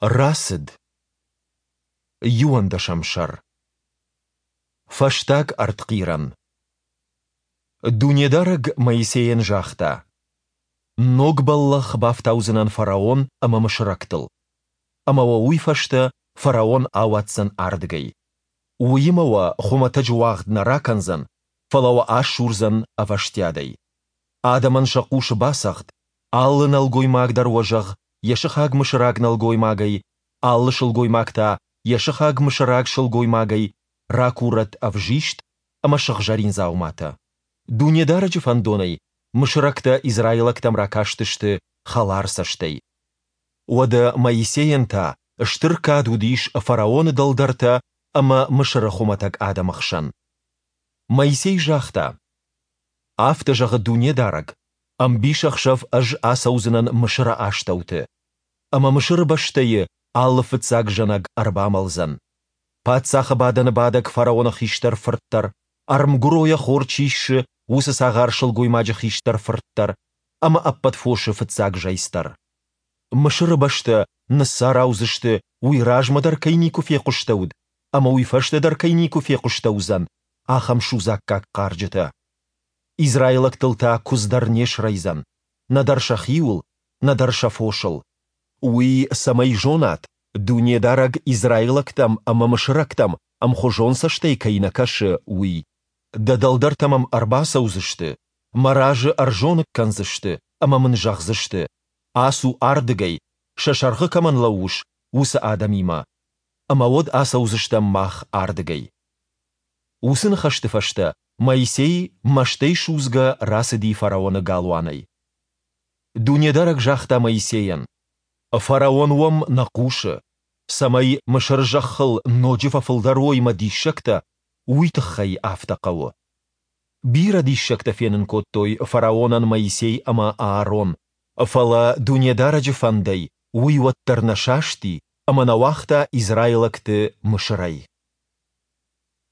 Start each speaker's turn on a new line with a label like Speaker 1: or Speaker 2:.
Speaker 1: Рацыд. Иуӕндӕсӕм сӕр. Фӕстаг ӕртхъирӕн. Дунедарӕг Моисейӕн загъта: Ног бӕллӕх бафтаудзынӕн фараон ӕмӕ мысырӕгтыл. Ӕмӕ уӕ уый фӕстӕ фараон ауадздзӕн ардыгӕй. Уыимӕ уӕ хуымӕтӕджы уагъд нӕ ракӕндзӕн, фӕлӕ уӕ асурдзӕн ӕвӕстиатӕй. Адӕмӕн сӕ хъусы бацӕгъд, алы нӕлгоймаг дӕр уӕ зӕгъ йӕ сыхаг мысыраг нӕлгоймагӕй, алы сылгоймаг та йӕ сыхаг мысыраг сылгоймагӕй ракурӕд ӕвзист ӕмӕ сыгъзӕрин дзауматӕ. Дунедарӕджы фӕндонӕй мысырӕгтӕ израилӕгтӕм ракастысты хӕлар цӕстӕй. Уӕдӕ Моисейӕн та стыр кад уыдис фараоны дӕлдӕртӕ ӕмӕ Мысыры хуымӕтӕг адӕмы хсӕн. Моисей загъта: Афтӕ зӕгъы Дунедарӕг, Ӕмбисӕхсӕв Ӕз ацӕудзынӕн Мысыры астӕуты. Ӕмӕ Мысыры бӕстӕйы алы фыццаг зӕнӕг ӕрбамӕлдзӕн. Паддзахы бадӕны бадӕг фараоны хистӕр фырт дӕр, ӕрмгуыройӕ хор чи ссы, уыцы цагъар сылгоймаджы хистӕр фырт дӕр ӕмӕ ӕппӕт фосы фыццаг зӕйц дӕр. Мысыры бӕстӕ ныццараудзысты, уый размӕ дӕр кӕй никуы фехъуыстӕуыд ӕмӕ уый фӕстӕ дӕр кӕй никуы фехъуыстӕуыдзӕн, ахӕм судзаггаг хъарджытӕ. Израилӕгтыл та куыдз дӕр не срӕйдзӕн, нӕдӕр сӕхиуыл, нӕдӕр сӕ фосыл. Уый цӕмӕй зонат, Дунедарӕг израилӕгтӕм ӕмӕ мысырӕгтӕм ӕмхуызон цӕстӕй кӕй нӕ кӕсы, уый. Дӕ дӕлдӕртӕ мӕм ӕрбацӕудзысты, мӕ разы ӕрзоныг кӕндзысты ӕмӕ мын зӕгъдзысты, Ацу ардыгӕй, сӕ сӕргъы кӕмӕн лӕууыс, уыцы адӕмимӕ. Ӕмӕ уӕд ацӕудзыстӕм мах ардыгӕй. Уыцы ныхӕсты фӕстӕ Моисей мӕстӕй судзгӕ рацыди фараоны галуанӕй. Дунедарӕг загъта Моисейӕн, Фараон уӕм нӕ хъусы. Цӕмӕй Мысыры зӕххыл ноджы фӕфылдӕр уой мӕ диссӕгтӕ, уый тыххӕй афтӕ хъӕуы. Бирӕ диссӕгтӕ фенын кодтой фараонӕн Моисей ӕмӕ Аарон, фӕлӕ Дунедарӕджы фӕндӕй уый уӕддӕр нӕ састи ӕмӕ нӕ уагъта израилӕгты Мысырӕй.